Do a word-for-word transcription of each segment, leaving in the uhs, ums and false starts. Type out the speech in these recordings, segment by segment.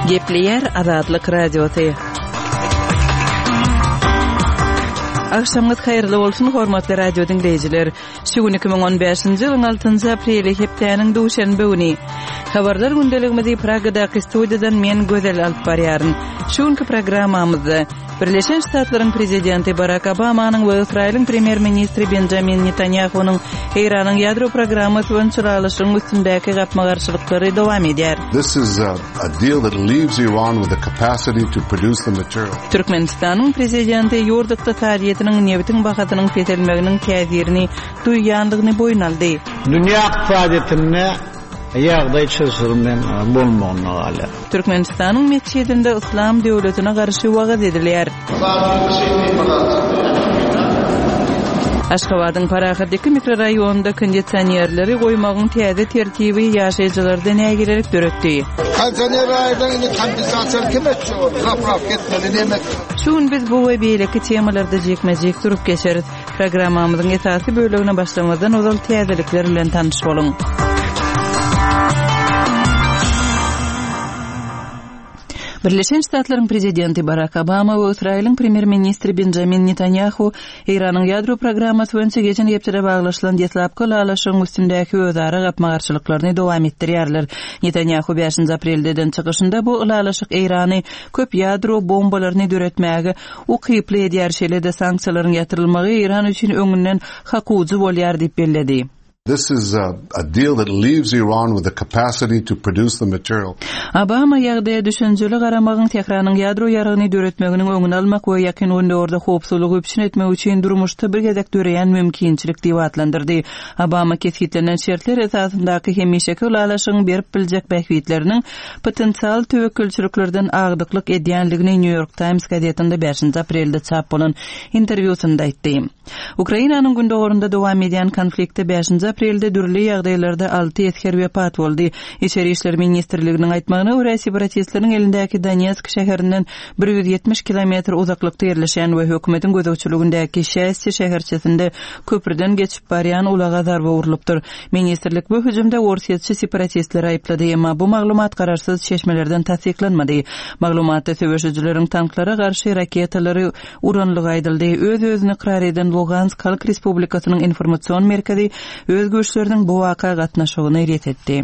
Gepleýär Azatlyk Radiosy. Agşamyňyz haýyrly bolsun, hormatly radio diňleýjiler. Şu gün iki müň on bäşinji ýylyň altynjy apreli, hepdäniň duşenbe güni. Habarlar gündeligimizi Pragadaky studiýadan men Gözel alyp barýaryn. Şu günki programmamyzda Birleşen Ştatlaryň prezidenti Barak Obamanyň we Ysraýylyň premýer-ministri Benjamin Netanýahunyň Eýranyň ýadro programmasy boýunça ylalaşygyň üstündäki gapma-garşylyklary dowam edýär. This is a, a deal that leaves Iran with the capacity to produce the material. Türkmenistanyň prezidenti ýurt ykdysadyýetiniň nebitiň bahasynyň peselmeginiň täsirini duýýandygyny boýun aldy. Dünýä ykdysadyýetinde ýagdaý çylşyrymly bolmagyna galýar. Türkmenistanyň metjidinde Yslam döwletine garşy wagyz edilýär. Aşgabadyň Parahat iki mikroraýonynda kondisionerleri goýmagyň täze tertibi ýaşaýjylarda nägilelik döretdi. Kondisioner aýdan indi kompensasiýa kim etjek ol? Zapravka etmeli, näme etmeli? Şu gün biz bu we beýleki temalarda jikme-jik durup geçeris. Programmamyzyň esasy bölegine başlamazdan ozal täzelikler bilen tanyş boluň. Birleşen Ştatlaryň prezidenti Barak Obama we Ysraýylyň premýer-ministri Benjamin Netanýahu Eýranyň ýadro programmasy boýunça geçen hepdede baglaşylan deslapky ylalaşygyň üstündäki özara gapma-garşylyklaryny dowam etdirýärler. Netanýahu bäşinji aprelde eden çykyşynda bu ylalaşyk Eýrany köp ýadro bombalaryny döretmäge ukyply edýär, şeýle-de sanksiýalaryň ýatyrylmagy Eýran üçin öňünden hakuwjy bolýar diýip belledi. This is a, a deal that leaves Iran with the capacity to produce the material. Obama ýagdaýa düşünjeli garamagyň Tähranyň ýadro ýaragyny döretmeginiň öňüni almak we Ýakyn Gündogarda howpsuzlygy üpjün etmek üçin durmuşda bir gezek döreýän mümkinçilik diýip atlandyrdy. Obama kesgitlenen şertler esasyndaky hemişeki ylalaşygyň berip biljek bähbitleriniň potensial töwekgelçiliklerden agdyklyk edýänligini New York Times gazetinde bäşinji aprelde çap bolan interwýusynda aýtdy. Ukrainanyň gündogarynda dowam edýän konfliktde bäşinji aprelde dürli ýagdaýlarda alty esger wepat boldy. Içeri işler ministrliginiň aýtmagyna görä, separatistleriň elindäki Donetsk şäherinden bir ýüz ýetmiş kilometr uzaklykda ýerleşen we hökümetiň gözegçiligindäki Şästi şäherçesinde köprüden geçip barýan ulaga zarba urlupdyr. Ministrlik bu hüjümde orsýetçi separatistleri aýyplady, emma bu maglumat garaşsyz çeşmelerden tassyklanmady. Maglumatda söweşijileriň tanklara garşy raketalary uranlygy aýdyldy. Öz-özüni ykrar eden Lugansk Halk Respublikasynyň informasion merkezi öz güýçleriniň bu waka gatnaşygyny ret etdi.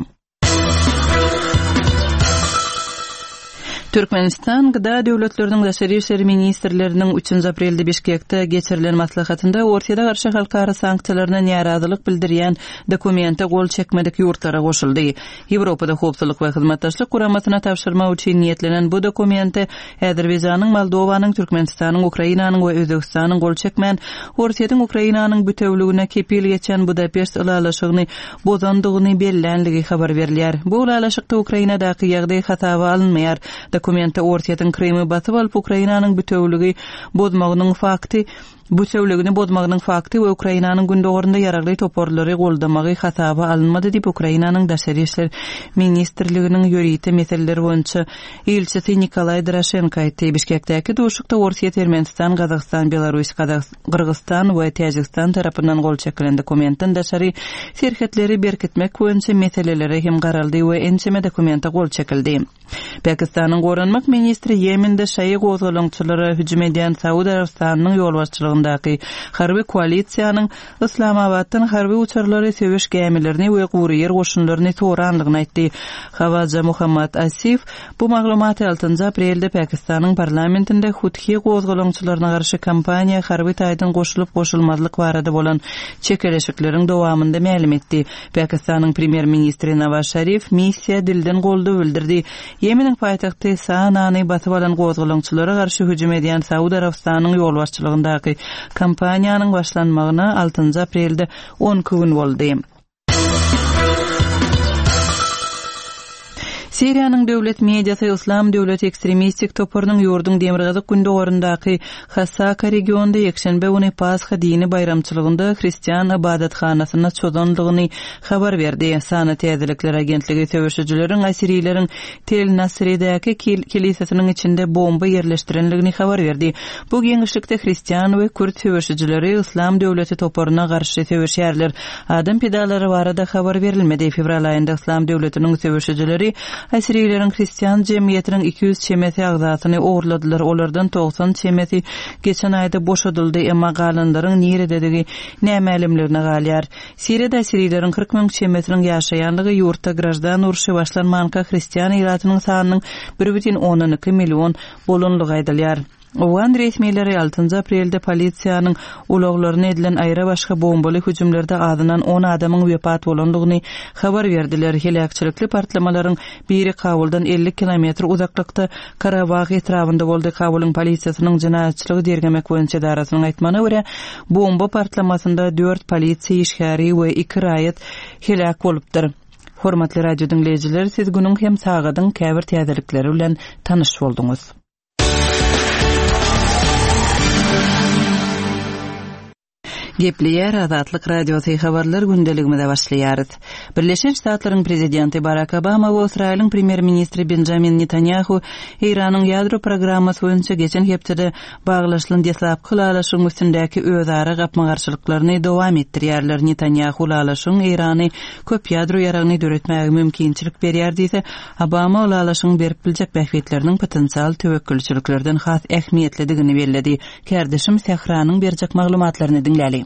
Türkmenistan G D A döwletleriniň daşary işler ministrleriniň üçünji aprelde Bişkekde geçirilen maslahatynda Orsýete garşy halkara sanksiýalaryna närazylyk bildirýän dokumente gol çekmedik ýurtlara goşuldy. Ýewropada Howpsuzlyk we Hyzmatdaşlyk Guramasyna tabşyrmak üçin niýetlenen bu dokumente Azerbaýjanyň, Moldowanyň, Türkmenistanyň, Ukrainanyň we Özbegistanyň gol çekmän Orsýetiň Ukrainanyň bütewligine kepil geçen Budapeşt ylalaşygyny bozandygyny bellänligi habar berilýär. Bu ylalaşykda Ukrainadaky ýagdaý hasaba alynmaýar. Dokumente Orsýetiň Krymy basyp alyp Ukrainanyň bütewligi bozmagynyň fakty, bütewligini bozmagynyň fakty we Ukrainanyň gündogarynda ýaragly toparlary goldamagy hasaba alynmady diýip Ukrainanyň Daşary işler ministrliginiň ýörite meseleleri boýunça ilçisi Nikolaý Draşenko aýtdy. Bişkekdäki duşuşykda Orsýet, Ermenistan, Gazagystan, Belarus, Gyrgyzstan we Täjigistan tarapyndan gol çekilen dokumentden daşary serhetleri berkitmek boýunça meselelere hem garaldy we ençeme dokumente gol çekildi. Pakistanyň Goranmak ministri Ýemende şaýy gozgalaňçylara hüjüm edýän Saud Arabystanynyň ýolbaşçylygyndaky harby koalisiýanyň Islamabatdan harby uçarlary, söweş gämilerini we gury ýer goşunlaryny soranlygyny aýtdy. Hawaja Muhammad Asif bu maglumaty altynjy aprelde Pakistanyň parlamentinde Huthi gozgalaňçylaryna garşy kampaniýa harby taýdan goşulyp goşulmazlyk barada bolan çekeleşikleriň dowamynda mälim etdi. Pakistanyň premýer-ministri Nawaz Şarif missiýa dilden goldaw bildirdi. Ýemeniň paýtagty Sanany basyp alan gozgalaňçylara garşy hüjüm edýän Saud Arabystanyň ýolbaşçylygyndaky kampaniýanyň başlanmagyna altynjy aprelde on iki gün boldy. Siriýanyň döwlet mediasy Islam döwleti ekstremistik toparynyň ýurduň demirgazyk gündogaryndaky Hasaka regionynda ýekşenbe güni Pasha dini baýramçylygynda hristian ibadathanasyna çozandygyny habar berdi. Sana täzelikler agentligi söweşijileriň Asirileriň Tel Nasridäki kilisesiniň içinde bomba ýerleşdirenligini habar berdi. Bu giňişlikde hristian we kürt söweşijileri Islam döwleti toparyna garşy söweşýärler. Adam pidalary barada habar berilmedi. Fevral aýynda Islam döwletiniň söweşijileri Assirileriň hristian jemgyýetiniň iki ýüz çemesi agzasyny ogurladylar. Olardan togsan çemesi geçen aýda boşadyldy, emma galanlaryň nirededigi nämälimligine galýar. Siriýada assirileriň kyrk müň çemesiniň ýaşaýanlygy ýurtda graždan urşy başlanmanka hristian ilatynyň sanynyň bir bütin ondan iki million bolanlygy aýdylýar. Owgan resmileri altynjy aprelde polisiýanyň ulaglaryna edilen aýra başga bombaly hüjümlerde azyndan on adamyň wepat bolandygyny habar berdiler. Heläkçilikli partlamalaryň biri Kabuldan elli kilometr uzaklykda Karabag etrabynda boldy. Kabulyň polisiýasynyň jenaýatçylygy derňemek boýunça edarasynyň aýtmagyna görä, bomba partlamasynda dört polisiýa işgäri we iki raýat heläk bolupdyr. Hormatly radio diňleýjiler, siz günüň hem sagadyň käbir täzelikleri bilen tanyş bolduňyz. Gepleýär Azatlyk Radiosy habarlar gündeligimize başlaýarys. Birleşen Ştatlaryň prezidenti Barack Obama we Ysraýylyň premýer-ministri Benjamin Netanyahu Eýranyň ýadro programmasy boýunça geçen hepdede baglaşylan deslapky ylalaşygyň üstündäki özara gapma-garşylyklaryny dowam etdirýärler. Netanyahu ylalaşygyň Eýrany köp ýadro ýaragyny döretmäge mümkinçilik berýär diýse, Obama ylalaşygyň berip biljek bähbitleriniň potensial töwekgelçiliklerden has ähmiýetlidigini belledi. Kärdeşim Sähranyň berjek maglumatlaryny diňläli.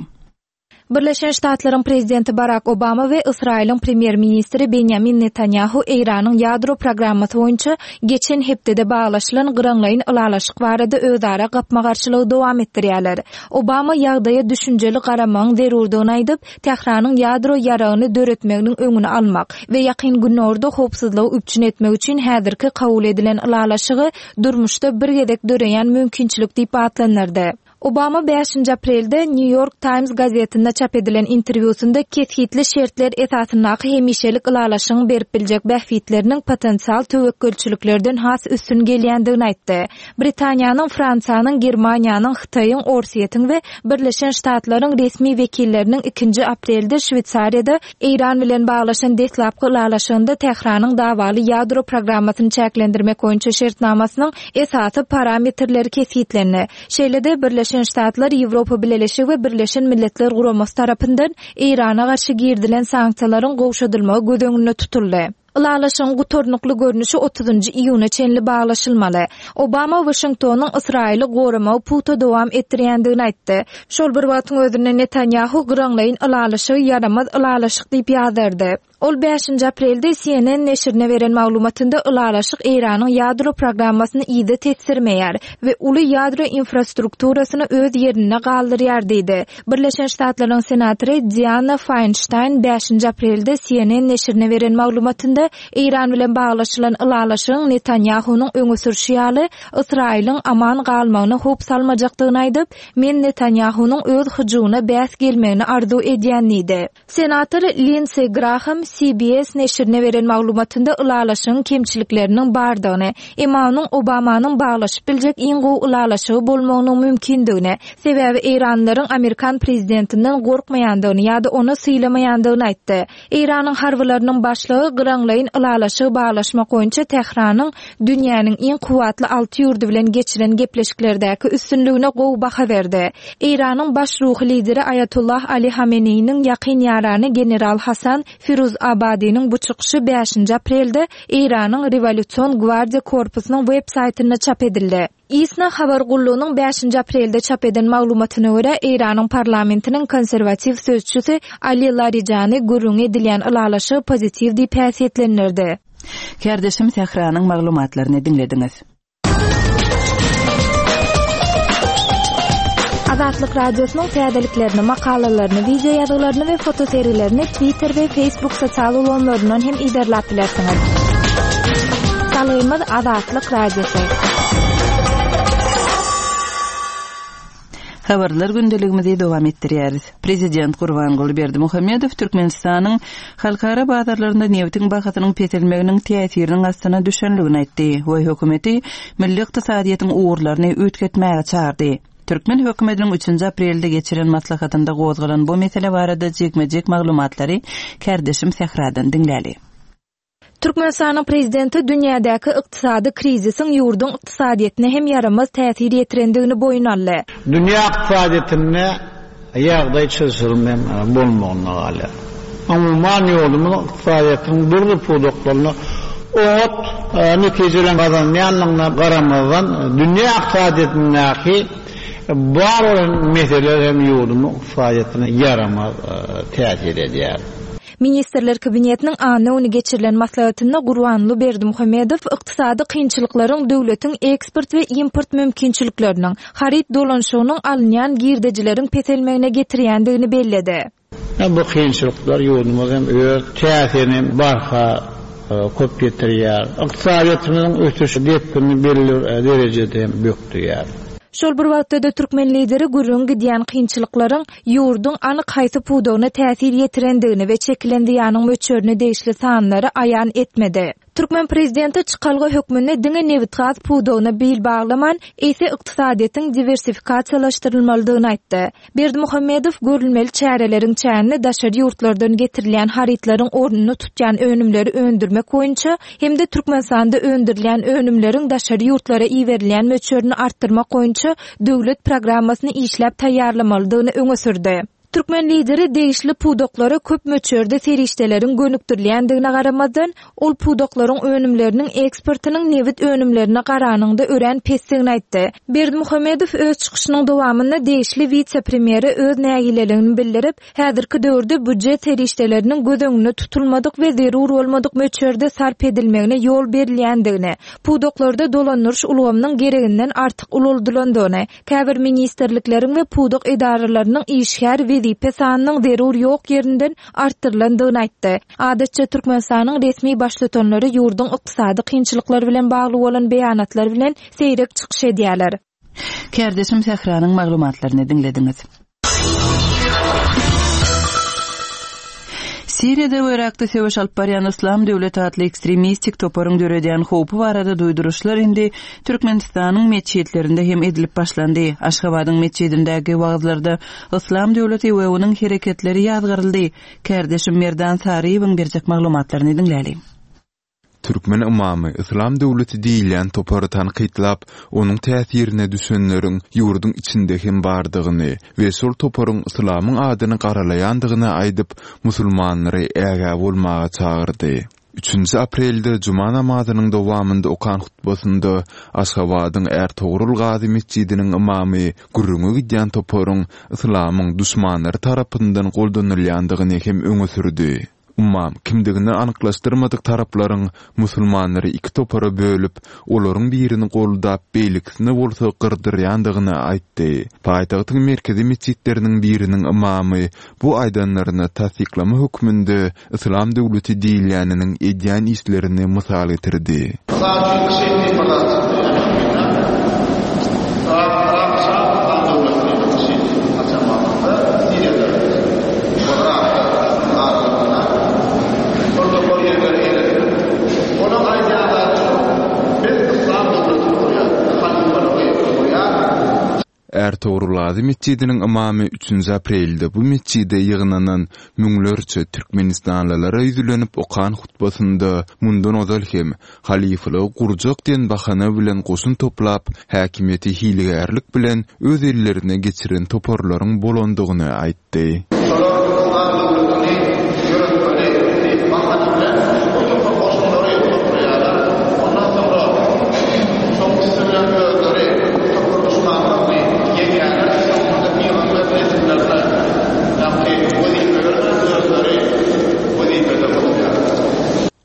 Birleşen Ştatlaryň prezidenti Barack Obama we Ysraýylyň premýer-ministri Benjamin Netanyahu Eýranyň ýadro programmasy boýunça geçen hepdede baglaşylan gyraňlaýyn ylalaşyk barada özara gapma-garşylygy dowam etdirýärler. Obama ýagdaýa düşünjeli garamagyň zerurdygyny aýdyp, Tähranyň ýadro ýaragyny döretmeginiň öňüni almak we ýakyn günorda howpsuzlygy üpjün etmek üçin häzirki kabul edilen ylalaşygy durmuşda bir gezek döreýän mümkinçilik diýip atlandyrdy. Obama bäşinji aprelde New York Times gazetinde çap edilen interwýusynda kesgitli şertler esasyndaky hemişelik ylalaşygyň berip biljek bähbitleriniň potensial töwekgelçiliklerden has üstün gelýändigini aýtdy. Britaniýanyň, Fransiýanyň, Germaniýanyň, Hytaýyň, Orsýetiň we Birleşen Ştatlaryň resmi wekilleriniň ikinji aprelde Şweýsariýada Eýran bilen baglaşan deslapky ylalaşygynda Tähranyň dawaly ýadro programmasyny çäklendirmek boýunça şertnamasynyň esasy parametrleri kesgitlendi. Şeýle-de Birleşen Ştatlar, Ýewropa Bileleşigi we Birleşen Milletler Guramasy tarapyndan Eýrana garşy girdilen sanksiýalaryň gowşadylmagy göz öňünde tutuldy. Ylalaşygyň gutarnykly görnüşi otuzynjy iýuna çenli baglaşylmaly. Obama Washingtonyň Ysraýyly goramagy pugta dowam etdirýändigini aýtdy. Şol bir wagtyň özünde Netanyahu gyraňlaýyn ylalaşygy ýaramaz ylalaşyk diýip ýazardy. Ol bäşinji aprelde C N N neşirine beren maglumatynda ylalaşyk Eýranyň ýadro programmasyny ýygy tesdirmeýär we uly ýadro infrastrukturasyny öz ýerinde galdyrýar diýdi. Birleşen Ştatlaryň senatory Diana Feinstein bäşinji aprelde C N N neşirine beren maglumatynda Eýran bilen baglaşylan ylalaşygyň Netanyahunyň öňe sürüşi ýaly Ysraýylyň aman galmagyna howp salmajakdygyny aýdyp, men Netanyahunyň öz hyjuwyna bäs gelmegini arzuw edýän diýdi. Senator Lindsey Graham C B S neşirine beren maglumatynda ylalaşygyň kemçilikleriniň bardygyny, emma onuň Obamanyň baglaşyp biljek iň gowy ylalaşygy bolmagynyň mümkindigini, sebäbi Eýranlaryň Amerikan prezidentinden gorkmaýandygyny ýa-da ony sylamaýandygyny aýtdy. Eýranyň harbylarynyň başlygy gyraňlaýyn ylalaşygy baglaşmak boýunça Tähranyň dünýäniň iň kuwwatly alty ýurdy bilen geçiren gepleşiklerdäki üstünligine gowy baha berdi. Eýranyň baş ruhy lideri Ayatollah Ali Hameneýiniň ýakyn ýarany General Hasan Firuz Abadiniň bu çykyşy bäşinji aprelde Eýranyň Rewolýusion Gwardiýa Korpusynyň web saýtynda çap edildi. ISNA habar gullugynyň bäşinji aprelde çap eden maglumatyna görä Eýranyň parlamentiniň konserwatiw sözçüsi Ali Larijani gürrüň edilýän ylalaşygy pozitiw diýip häsiýetlendirdi. Kärdeşim Sähranyň maglumatlaryny diňlediňiz. Azatlyk Radiosynyň täzeliklerini, makalalaryny, video ýazgylaryny we fotoserilerini Twitter we Facebook sosial ulgamlaryndan hem iberläp bilersiňiz. Salgymyz Azatlyk Radiosy. Habarlar gündeligimizi dowam etdirýäris. Prezident Gurbanguly Berdimuhamedow Türkmenistanyň halkara bazarlarynda nebitiň bahasynyň peselmeginiň täsiriniň astyna düşenligini aýtdy we hökümeti milli ykdysadyýetiň ugurlaryny üýtgetmäge çagyrdy. Türkmen hökümetiniň üçünji aprelde geçiren maslahatynda gozgalan bu mesele barada jikme-jik maglumatlary kärdeşim Sähradan diňläli. Türkmenistanyň prezidenti dünýädäki ykdysady krizisiň ýurduň ykdysadyýetine hem ýaramaz täsir ýetirendigini boýun aldy. Dünýä ykdysadyýetinde ýagdaý çylşyrymly bolmagyna galýar. Umuman ýurdumyz ykdysadyýetiniň dürli pudaklarynda Oňat netijeler gazanýanlygyna garamazdan dünýä ykdysadyýetindäki bar bolan meseleler hem ýurdumyň ykdysadyýetine ýaramaz täsir edýär. Ministrler Kabinetiniň anna güni geçirilen maslahatynda Gurbanguly Berdimuhamedow ykdysady kynçylyklaryň döwletiň eksport we import mümkinçilikleriniň, haryt dolanyşygynyň alynýan girdejileriň peselmegine getirýändigini belledi. Bu kynçylyklar ýurdumyz hem öz täsirini barha köp getirýär. Ykdysadyýetimiziň ösüş depgini belli derejede hem bökdüýär. Şol bir wagtda-da türkmen lideri gürrüň gidýän kynçylyklaryň ýurduň anyk haýsy pudagyna täsir ýetirendigini we çekilen zyýanyň möçberine degişli sanlary aýan etmedi. Türkmen prezidenti çykalga hökmünde diňe nebitgaz pudagyna bil baglaman, eýse ykdysadyýetiň diwersifikasiýalaşdyrylmalydygyny aýtdy. Berdimuhamedow görülmeli çäreleriň çäginde daşary ýurtlardan getirilýän harytlaryň ornuny tutýan önümleri öndürmek boýunça hem-de Türkmenistanda öndürilýän önümleriň daşary ýurtlara iberilýän möçberini artdyrmak boýunça döwlet programmasyny işläp taýýarlamalydygyny öňe sürdi. Türkmen lideri degişli pudaklara köp möçberde serişdeleriň gönükdirilýändigine garamazdan, ol pudaklaryň önümleriniň eksportynyň nebit önümlerine garanyňda örän pesdigini aýtdy. Berdimuhamedow öz çykyşynyň dowamynda degişli wise-premýere öz nägileligini bildirip, häzirki döwürde býujet serişdeleriniň göz öňünde tutulmadyk we zerur bolmadyk möçberde sarp edilmegine ýol berilýändigini, pudaklarda dolandyryş ulgamynyň gereginden artyk ulaldylandygyny, käbir ministrlikleriň we pudak edaralarynyň işgär wezipe sanynyň zerur ýok ýerinden artdyrylandygyny aýtdy. Adatça Türkmenistanyň resmi baştutanlary ýurduň ykdysady kynçylyklary bilen bagly bolan beýanatlar bilen seýrek çykyş edýärler. Kärdeşim Sähranyň maglumatlaryny diňlediňiz. Siriýada we Yrakda söweş alyp barýan Yslam döwleti atly ekstremistik toparyň döredýän howpy barada duýduryşlar indi Türkmenistanyň metjitlerinde hem edilip başlandy. Aşgabadyň metjidindäki wagyzlarda Yslam döwleti we onuň hereketleri ýazgaryldy. Kärdeşim Merdan Saryýewiň berjek maglumatlaryny diňläli. Türkmen ymamy Yslam döwleti diýilýän topary tankytlap, onuň täsirine düşenleriň ýurduň içinde hem bardygyny we şol toparyň Yslamyň adyny garalaýandygyny aýdyp, musulmanlary ägä bolmaga çagyrdy. Üçünji aprelde juma namazynyň dowamynda okan hutbasynda Aşgabadyň Ärtogrul Gazy metjidiniň ymamy gürrüňe gidýän toparyň Yslamyň duşmanlary tarapyndan goldanylýandygyny hem öňe sürdi. Ymam kimdigini anyklaşdyrmadyk taraplaryň musulmanlary iki topara bölüp, olaryň birini goldap, beýlekisini bolsa gyrdyrýandygyny aýtdy. Paýtagtyň merkezi metjitleriniň biriniň ymamy bu aýdanlaryny tassyklama hökmünde Yslam döwleti diýilýäniniň edýän işlerini mysal getirdi. Mysal üçin IŞID diýip bir zat çykdy. Yrak, Yrak şa Yslam döwleti diýip IŞID açan wagtynda Siriýada we Yrakda aralygynda bir topar ýerleri eýelediler. Onuň aýdýan zady şu: biz Yslam döwletini gurýarys, halyfalygy gurýarys. Ärtogrul Gazy metjidiniň ymamy üçünji aprelde bu metjide ýygnanan müňlerçe türkmenistanlylara ýüzlenip okan hutbasynda mundan ozal hem halyfalygy gurjak diýen bahana bilen goşun toplap, häkimiýeti hilegärlik bilen öz ellerine geçiren toparlaryň bolandygyny aýtdy. Şolar Yslam döwletini ýöretmeli diýip bahana bilen bir topar goşunlary toplaýarlar. Ondan soňra şoň üsti bilen özleri bir topar duşmanlaryny ýeňýärler. Soňunda pygamber nesillerine ýagny wezipe bermän özleri wezipede oturýarlar.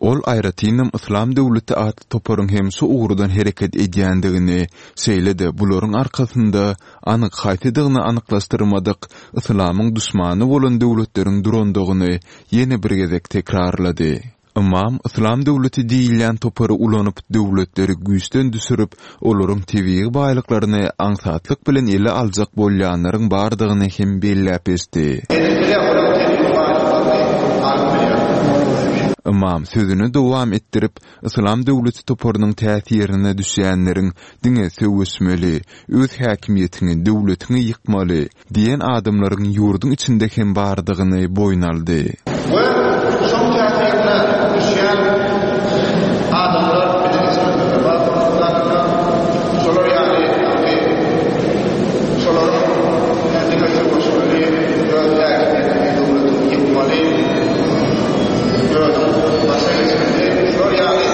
Ol aýratynam Yslam döwleti atly toparyň hem şu ugurdan hereket edýändigini, şeýle-de bularyň arkasynda anyk haýsydygyny anyklaşdyrmadyk Yslamyň duşmany bolan döwletleriň durandygyny ýene bir gezek tekrarlady. Ymam Yslam döwleti diýilýän topary ulanyp, döwletleri güýçden düşürip, olaryň tebigy baýlyklaryny aňsatlyk bilen ele aljak bolýanlaryň bardygyny hem belläp geçdi. Edip bilýär, olaryň tebigy baýlyklaryny alyp bilýär. Ymam sözüni dowam etdirip, Yslam döwleti toparynyň täsirine düşýänleriň diňe söweşmeli, öz häkimiýetiňi, döwletiňi ýykmaly diýen adamlaryň ýurduň içinde hem bardygyny boýun aldy. We şoň täsirine düşýän adamlar biziň içimizde bar. Şolar ýaly, ýagny şolaryň diňe söweşmeli, öz häkimiýetiňi, döwletiňi ýykmaly, özüň başa geçmeli, şolar ýaly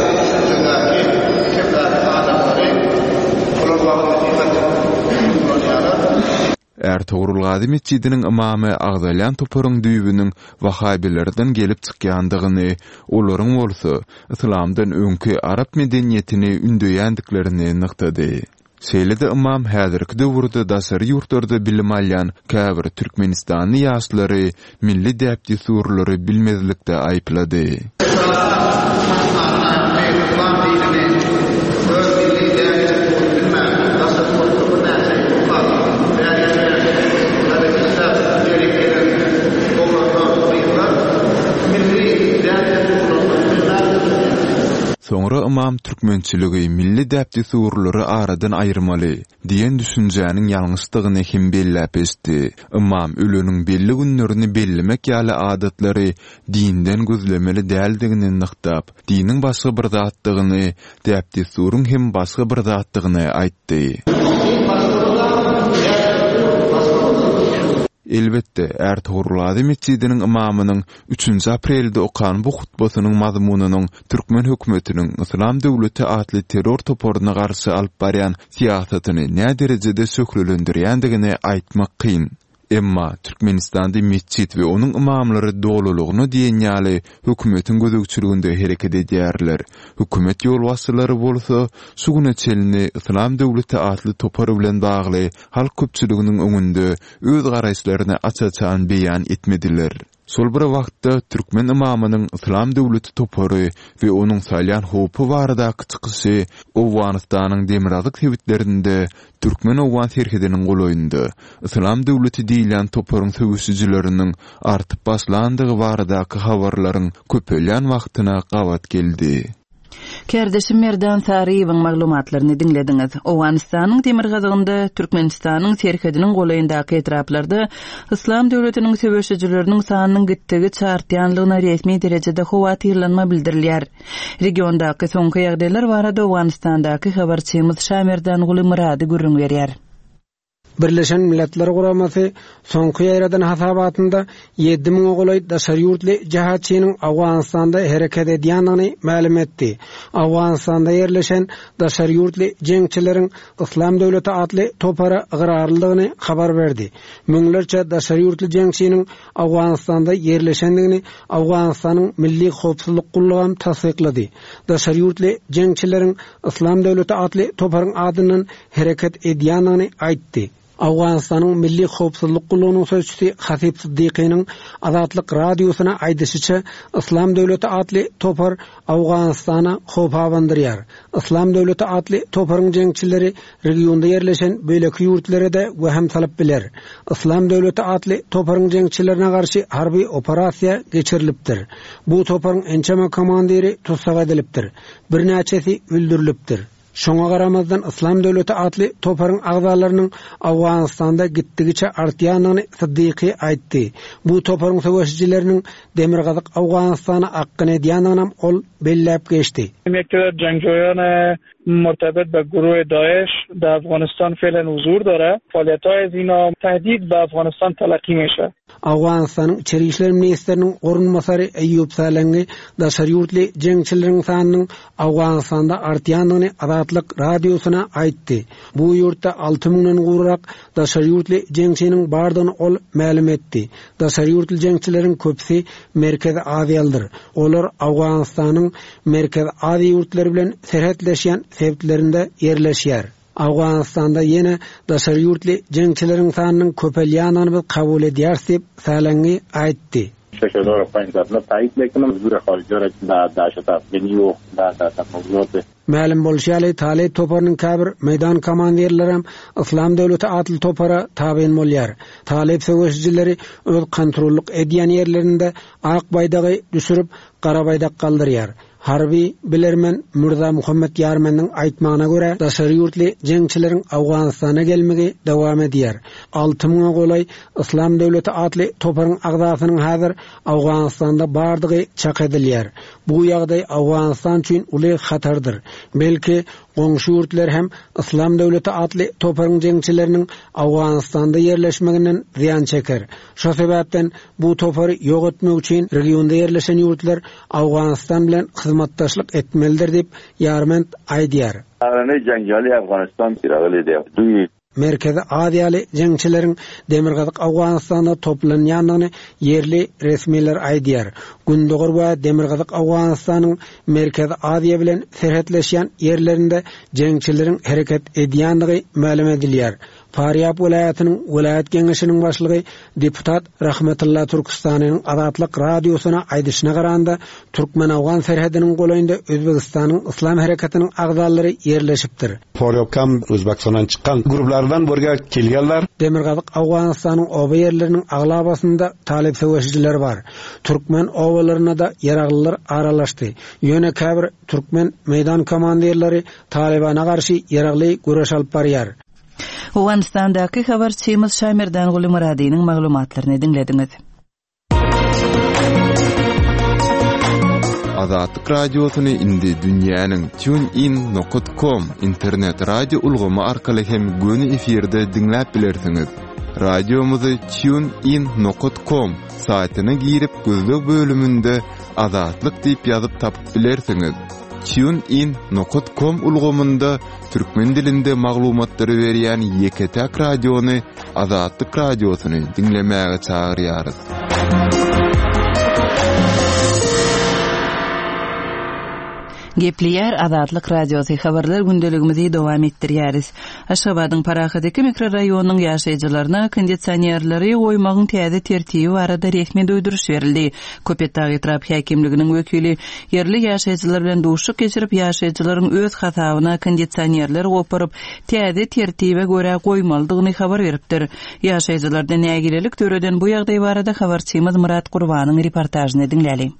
Ärtogrulgazy metjidiniň ymamy agzalýan toparyň düýbüniň wahabilerden gelip çykýandygyny, olaryň bolsa yslamdan öňki arap medeniýetini ündeýändiklerini nygtady. Şeýle-de ymam häzirki döwürde daşary ýurtlarda bilim alýan käbir türkmenistanly ýaşlary milli däp-dessurlary bilmezlikde aýyplady. Yslam dinini, öz milli däp-dessuryny bilmän, daşary ýurtda birnäçe ýyl okap, bäri ýerde işläp, bu ýere gelen oglanlar, gyzlar milli däp-dessurlaryny bilmän. Soňra ymam türkmençiligi, milli däp-dessurlary aradan aýyrmaly diýen düşünjäniň ýalňyşdygyny hem belläp geçdi. Ymam öleniň belli günlerini bellemek ýaly adatlary dinden gözlemeli däldigini nygtap, diniň başga bir zatdygyny, däp-dessuryň hem başga bir zatdygyny aýtdy. Elbetde, Ärtogrulgazy metjidiniň ymamynyň üçünji aprelde okan bu hutbasynyň mazmunynyň türkmen hökümetiniň Yslam döwleti atly terror toparyna garşy alyp barýan syýasatyny näderejede şöhlelendirýändigini aýtmak kyn. Emma Türkmenistanda metjit we onuň ymamlary dolulygyna diýen ýaly hökümetiň gözegçiliginde hereket edýärler. Hökümet ýolbaşçylary bolsa şu güne çenli Yslam döwleti atly topar bilen bagly halk köpçüliginiň öňünde öz garaýyşlaryny aç-açan beýan etmediler. Şol bir wagtda türkmen ymamynyň Yslam döwleti topary we onuň salýan howpy baradaky çykyşy Owganystanyň demirgazyk sebitlerinde türkmen-owgan serhediniň golaýynda Yslam döwleti diýilýän toparyň söweşijileriniň artyp başlandygy baradaky habarlaryň köpelýän wagtyna gabat geldi. Kärdeşim Merdan Saryýewiň maglumatlaryny diňlediňiz. Owganystanyň demirgazygynda Türkmenistanyň serhediniň golaýyndaky etraplarda Yslam döwletiniň söweşijileriniň sanynyň gitdigiçe artýanlygyna resmi derejede howatyrlanma bildirilýär. Regiondaky soňky ýagdaýlar barada Owganystandaky habarçymyz Şamerdanguly Murady gürrüň berýär. Birleşen Milletler Guramasy soňky ýaýradan hasabatynda ýedi müňe golaý daşary ýurtly jihatçynyň Owganystanda hereket edýändigini mälim etdi. Owganystanda ýerleşen daşary ýurtly jeňçileriň Yslam döwleti atly topara ygrarlydygyny habar berdi. Müňlerçe daşary ýurtly jeňçiniň Owganystanda ýerleşendigini Owganystanyň Milli Howpsuzlyk gullugy tassyklady. Daşary ýurtly jeňçileriň Yslam döwleti atly toparyň adyndan hereket edýändigini aýtdy. Owganystanyň Milli Howpsuzlyk gullugynyň sözçüsi Hasip Siddiqiniň Azatlyk radiosyna aýdyşyça, Yslam döwleti atly topar Owganystana howp abandyrýar. Yslam döwleti atly toparyň jeňçileri regionda ýerleşen beýleki ýurtlara-da wehem salyp biler. Yslam döwleti atly toparyň jeňçilerine garşy harby operasiýa geçirilipdir. Bu toparyň ençeme komandiri tussag edilipdir. Birnäçesi öldürilipdir. Şoňa garamazdan Yslam döwleti atly toparyň agzalarynyň Owganystanda gitdigiçe artýandygyny Siddiqi aýtdy. Bu toparyň söweşijileriniň Demirgazyk Owganystana akgyn edýändigini ol belläp geçdi. یک جنگجویان مرتبط به گروه داعش در افغانستان فعلا حضور داره. فعالیت‌های از اینا تهدید به افغانستان تلقی میشه. Owganystanyň Içeri işler ministriniň orunbasary Eýýup Salengi daşary ýurtly jeňçileriň sanynyň Owganystanda artýandygyny Azatlyk radiosyna aýtdy. Bu ýurtda alty müňden gowrak daşary ýurtly jeňçiniň bardygyny ol mälim etdi. Daşary ýurtly jeňçileriň köpüsi Merkezi Aziýalydyr. Olar Owganystanyň Merkezi Aziýa ýurtlary bilen serhetleşýän sebitlerinde ýerleşýär. Owganystanda ýene daşary ýurtly jeňçileriň sanynyň köpelýändigini biz kabul edýäris diýip Salengi aýtdy. شش هزار و پنجصد نه تایید میکنم حضور خارجی را در دهشت افغانی و در در موضوعات Mälim bolşy ýaly Talyp toparynyň käbir meýdan komandirleri hem Yslam döwleti atly topara tabyn bolýar. Talyp söweşijileri öz kontrollyk edýän ýerlerinde ak baýdagy düşürip gara baýdak galdyrýar. Harby bilermen Mürza Muhammed Ýarmeniň aýtmagyna görä daşary ýurtly jeňçileriň Owganystana gelmegi dowam edýär. Alty müňe golaý Yslam döwleti atly toparyň agzasynyň häzir Owganystanda bardygy çak edilýär. Bu ýagdaý Owganystan üçin uly hatardyr. Belki goňşy ýurtlar hem Yslam döwleti atly toparyň jeňçileriniň Owganystanda ýerleşmeginden zyýan çeker. Şo sebäpden bu topary ýok etmek üçin regionda ýerleşen ýurtlar Owganystan bilen hyzmatdaşlyk etmelidir diýip Ýarment aýdýar. Arane جنگجویان افغانستان راغلي دي. دوی Merkezi Aziýaly jeňçileriň Demirgazyk Owganystanda toplanýandygyny ýerli resmiler aýdýar. Gündogar we Demirgazyk Owganystanyň Merkezi Aziýa bilen serhetleşýän ýerlerinde jeňçileriň hereket edýändigi mälim edilýär. Farýab welaýatynyň welaýat geňeşiniň başlygy deputat Rahmetulla Türküstanynyň Azatlyk radiosyna aýdyşyna garanda, türkmen-owgan serhediniň golaýynda Özbegistanyň Yslam hereketiniň agzalary ýerleşipdir. Farýobga O'zbekistondan chiqqan guruhlardan bu yerga kelganlar. Demirgazyk Owganystanyň oba ýerleriniň aglabasynda talyp söweşijiler bar. Türkmen obalaryna-da ýaraglylar aralaşdy. Ýöne käbir türkmen meýdan komandirleri Talybana garşy ýaragly göreş alyp barýar. Owganystandaky habarçymyz Şamerdanguly Myradynyň maglumatlaryny diňlediňiz. Azatlyk Radiosyny indi dünýäniň tunein nokat com internet radio ulgamy arkaly hem göni efirde diňläp bilersiňiz. Radiomyzy tunein nokat com saýtyna girip gözleg bölüminde Azatlyk diýip ýazyp tapyp bilersiňiz. Tunein nokat com ulgamynda türkmen dilinde maglumatlary berýän ýeke-täk radiony Azatlyk Radiosyny diňlemäge çagyrýarys. Gepleýär Azatlyk Radiosy habarlar gündeligimizi dowam etdirýäris. Aşgabadyň Parahat iki mikroraýonynyň ýaşaýjylaryna kondisionerleri goýmagyň täze tertibi barada resmi duýduryş berildi. Köpetdag etrap häkimliginiň wekili ýerli ýaşaýjylar bilen duşuşyk geçirip, ýaşaýjylaryň öz hasabyna kondisionerler goparyp, täze tertibe görä goýmalydygyny habar beripdir. Ýaşaýjylarda nägilelik döreden bu ýagdaý barada habarçymyz Murat Gurbanyň reportažyny diňläli.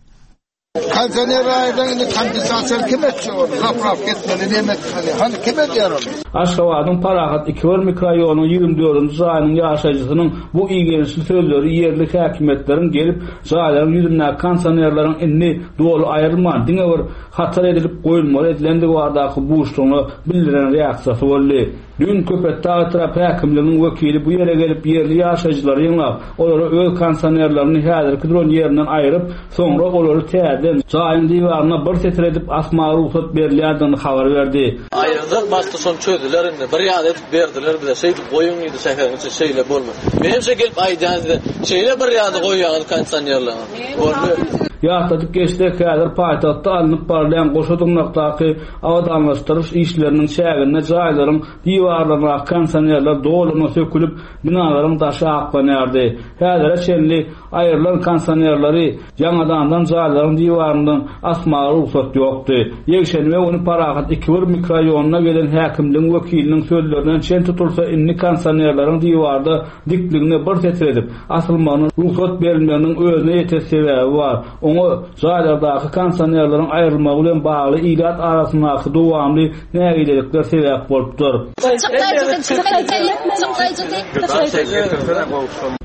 Kondisioner aýdan indi kompensasiýa kim etjek ony? Zapraf etmeli, näme etmeli? Hany kim edýär ony? Aşgabadyň Parahat iki bir mikroraýonynyň ýigrimi dördünji jaýynyň ýaşaýjysynyň bu igençli sözleri ýerli häkimiýetleriň gelip jaýlaryň ýüzündäki kondisionerleriň indi doly aýrylman, diňe bir hatar edilip goýulmaly edilendigi baradaky buşlugyna bildiren reaksiýasy boldy. Dün Köpetdag etrap häkimliginiň wekili bu ýere gelip ýerli ýaşaýjylary ýygnap, olara öz kondisionerlerini häzirki duran ýerinden aýryp, soňra olary täzeden jaýyň diwaryna bir setir edip asmaga rugsat berilýändigini habar berdi. Aýyrdyk, başda şony çözdüler indi. Bir ýada edip berdiler bize. Şeýdip goýuň diýdi şäheriň içi şeýle bolmaz. Men hem gelip aýdýan size, şeýle bir ýada goýýaňyz kondisionerlerini. Boldy. Ýatladyp geçsek, häzir paýtagtda alnyp barylýan goşa dyrnakdaky abadanlaşdyryş işleriniň çäginde jaýlaryň diwarlaryndaky kondisionerler dolugyna sökülip, binalaryň daşy aklanýardy. Häzire çenli aýrylan kondisionerleri ýaňadandan jaýlaryň diwaryndan asmaga rugsat ýokdy. Ýekşenbe güni Parahat iki bir mikroraýonyna gelen häkimligiň wekiliniň sözlerinden çen tutulsa, indi kondisionerleriň diwarda dikligine bir setir edip asylmagyna rugsat berilmeginiň özüne ýeten sebäbi bar. Oňa jaýlardaky kondisionerleriň aýrylmagy bilen bagly ilat arasyndaky dowamly nägilelikler sebäp bolupdyr.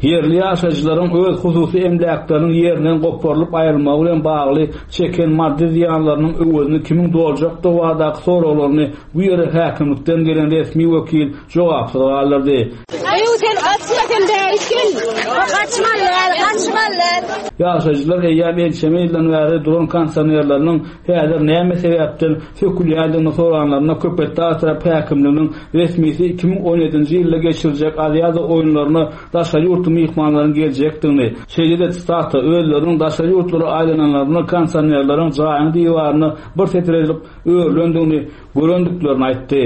Ýerli ýaşaýjylaryň öz hususy emläkleriniň ýerinden goparylyp aýrylmagy bilen bagly çeken maddy zyýanlarynyň öwezini kimiň doljakdygy baradaky soraglaryny bu ýere häkimlikden gelen resmi wekil jogapsyz galdyrdy. Eý sen gaçma sen bäri gel. Gaçmaly, gaçmaly. Ýaşaýjylar eýýäm ençeme ýyldan bäri duran kondisionerleriniň häzir näme sebäpden sökülýändigini soranlarynda Köpetdag etrap häkimliginiň resmisi iki müň on ýedinji ýylda geçiriljek Aziýada oýunlaryna daşary ýurtly myhmanlaryň geljekdigini, şeýle-de stata özleriniň daşary ýurtlara aýlananlaryna kondisionerleriň jaýyň diwaryna bir setir edilip örülendigini görendiklerini aýtdy.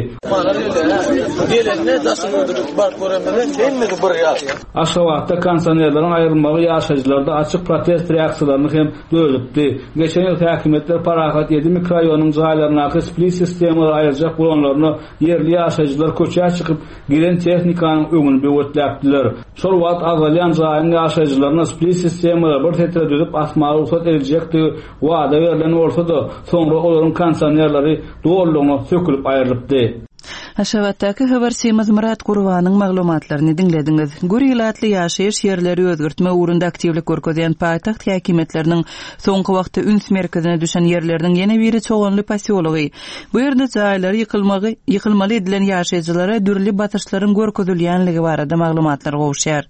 Gelende daşary ýurtlara baryp göremizde hemmesi bir ýaş. Aşgabatda kondisionerleriň aýrylmagy ýaşaýjylarda açyk protest reaksiýalaryny hem döredipdi. Geçen ýyl häkimiýetler Parahat ýedi mikroraýonyň jaýlaryndaky split sistemalary aýyrjak bolanlaryna ýerli ýaşaýjylar köçä çykyp gelen tehnikanyň öňüni böwetläpdiler. Şol wagt azalýan jaýyň ýaşaýjylaryna split sistemalary bir setire düzüp asmaga rugsat ediljekdigi wada berlen bolsa-da, soňra olaryň kondisionerleri dolulygyna sökülip aýrylypdy. Aşgabatdaky habarçymyz Murat Gurbanyň maglumatlaryny diňlediňiz. Gür ilatly ýaşaýyş ýerleri özgertme ugrunda aktiwlik görkezýän paýtagt häkimiýetleriniň soňky wagtda üns merkezine düşen ýerleriniň ýene biri Çoganly posýology. Bu ýerde jaýlary ýykylmagy, ýykylmaly edilen ýaşaýjylara dürli basyşlaryň görkezilýänligi barada maglumatlar gowuşýar.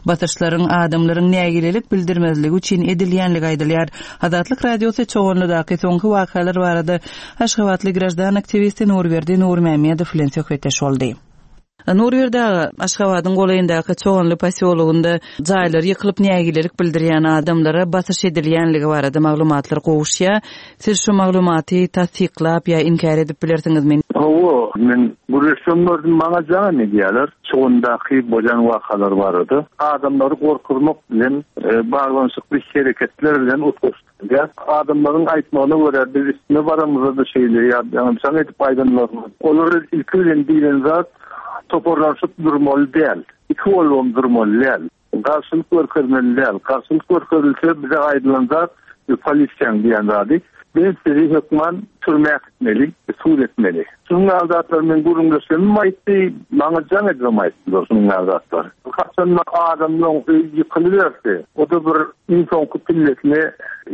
Basyşlaryň adamlaryň nägilelik bildirmezligi üçin edilýänligi aýdylýar. Azatlyk Radiosy Çoganlydaky soňky wakalar barada Aşgabatly graždan aktiwisti Nurberdi Nurmämmedow bilen söhbetdeş boldy. Nurberdi aga, Aşgabadyň golaýyndaky Çoganly posýologynda jaýlary ýykylyp nägilelik bildirýän adamlara basyş edilýänligi barada maglumatlar gowuşýar. Siz şu maglumaty tassyklap ýa inkär edip bilersiňizmi? Hawa, men gürleşsem gördüm, maňa jaň edýärler. Çogandaky bolýan wakalar barada. Adamlary gorkuzmak bilen e, baglanyşykly hereketler bilen utgaşdyrýar. Adamlaryň aýtmagyna görä biz üstüne baramyzda şeýle ýa ýa jaň edip aýdanlar. Olar ilki bilen diýlen zat toparlanşyp durmaly däl. Iki bolubam durmaly däl. Garşylyk görkezmeli däl. Garşylyk görkezilse bize aýdylan zat polisiýaň diýen zady. Biz sizi hökman türmä äkitmeli, sud etmeli. Şunuň ýaly zatlar men gürrüňleşemim aýtdy, maňa jaň edibem aýtdylar şunuň ýaly zatlar. Haçanda adamlaryň öýi ýykylyberse, o da bir iň soňky pillesine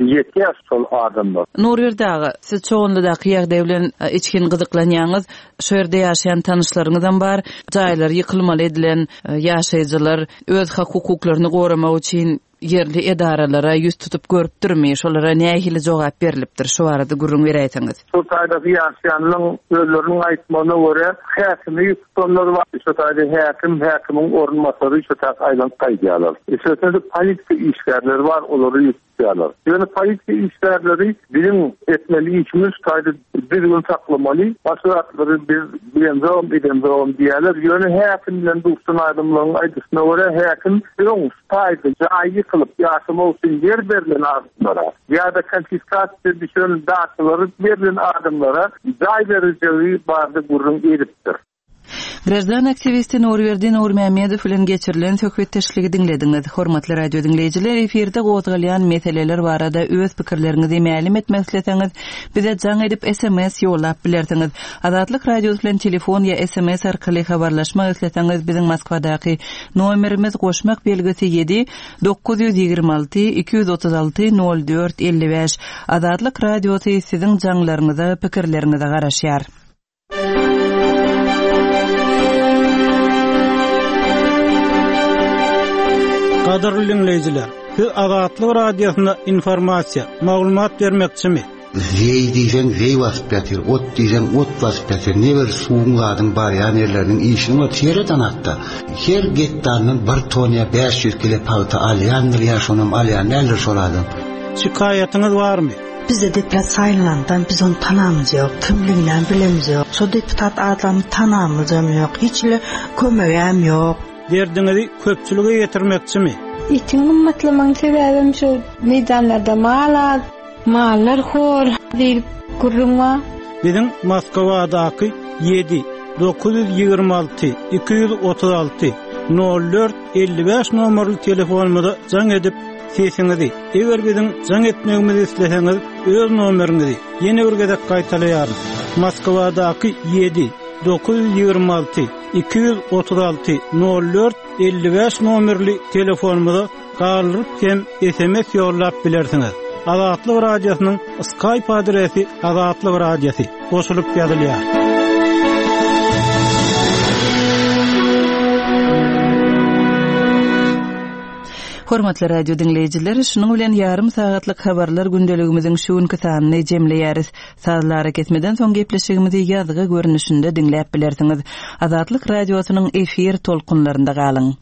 ýetýär şol adamlar. Nurberdi aga, siz Çoganlydaky ýagdaý bilen e, içgin gyzyklanýaňyz. Şu ýerde ýaşaýan tanyşlaryňyzam bar. Jaýlar ýykylmaly edilen e, ýaşaýjylar öz hak hukuklaryny goramak üçin ýerli edaralara ýüz tutup görüpdirmi? Şolara nähili jogap berilipdir? Şu barada gürrüň beräýseňiz. Şu taýdaky ýaşaýanlaryň özleriniň aýtmagyna görä häkimi ýüz tutanlar bar. Şu taýda häkim, häkimiň orunbasary şu taýda aýlanyp gaýdýarlar. Üstesine polisiýa işgärleri bar, olary ýüz tutýarlar. Ýöne polisiýa işgärleri biziň etmeli işimiz şu taýda düzgün saklamaly, başga zatlary biz bilemzogam, edemzogam diýýärler. Ýöne häkim bilen duşan adamlaryň aýdyşyna görä häkim öň şu taýda jaý ýykylyp ýaşamak üçin ýer berlen adamlara ýa-da konfiskasiýa düşen daçalary berlen adamlara jaý berijegi barada gürrüň edipdir. Grajdan aktiwisti Nurberdi Nurmämmedow bilen geçirilen söhbetdeşligi diňlediňiz. Hormatly radio diňleýjiler, efirde gozgalýan meseleler barada öz pikirleriňizi mälim etmek isleseňiz, bize jaň edip S M S ýollap bilersiňiz. Azatlyk Radiosy bilen telefon ýa S M S arkaly habarlaşmak isleseňiz, biziň Moskwadaky nomerimiz goşmak belgisi ýedi dokuz ýüz ýigrimi alty iki ýüz otuz alty nol dört elli bäş. Azatlyk Radiosy siziň jaňlaryňyza, pikirleriňize garaşýar. Gadyrly dinleýjiler, siz Azatlyk Radiosyna informasiýa, maglumat bermekçimi? Zeý diýseň zeý basyp ýatyr, ot diýseň ot basyp ýatyr. Ne bir suwuň zadyň barýan ýerleriniň işini ot ýereden hatda. Her gektardan bir ton ýa bäş ýüz kilo pagta alýandyr ýa şonam alýan däldir şol adam. Şikaýatyňyz barmy? Bizde deputat saýlanandan biz onu tanamyz ýok, kimligini bilemiz ýok. Şo deputat adamy tanamyzam ýok, hiç ile kömegem ýok. Derdiňizi köpçülige ýetirmekçimi? Etiň gymmatlamagyň sebäbim şu meýdanlarda mal az, mallar hor diýip gürrüň bar. Biziň Moskwadaky ýedi dokuz ýüz ýigrimi alty iki ýüz otuz alty nol dört elli bäş nomerli telefonumyza jaň edip sesiňizi, eger biziň jaň etmegimizi isleseňiz, öz nomeriňizi ýene bir gezek gaýtalaýaryn. Moskwadaky ýedi dokuz ýüz ýigrimi alty iki ýüz otuz alty nol dört elli bäş nomerli telefonumyza galdyryp hem S M S ýollap bilersiňiz. Azatlyk Radiosynyň Skype adresi Azatlyk Radiosy goşulyp ýazylýar. Hormatly radio diňleýjiler, şunuň bilen ýarym sagatlyk habarlar gündeligimiziň şu günki sanyny jemleýäris. Sazlara kesmeden soň gepleşigimizi ýazgy görnüşinde diňläp bilersiňiz. Azatlyk Radiosynyň efir tolkunlarynda galyň.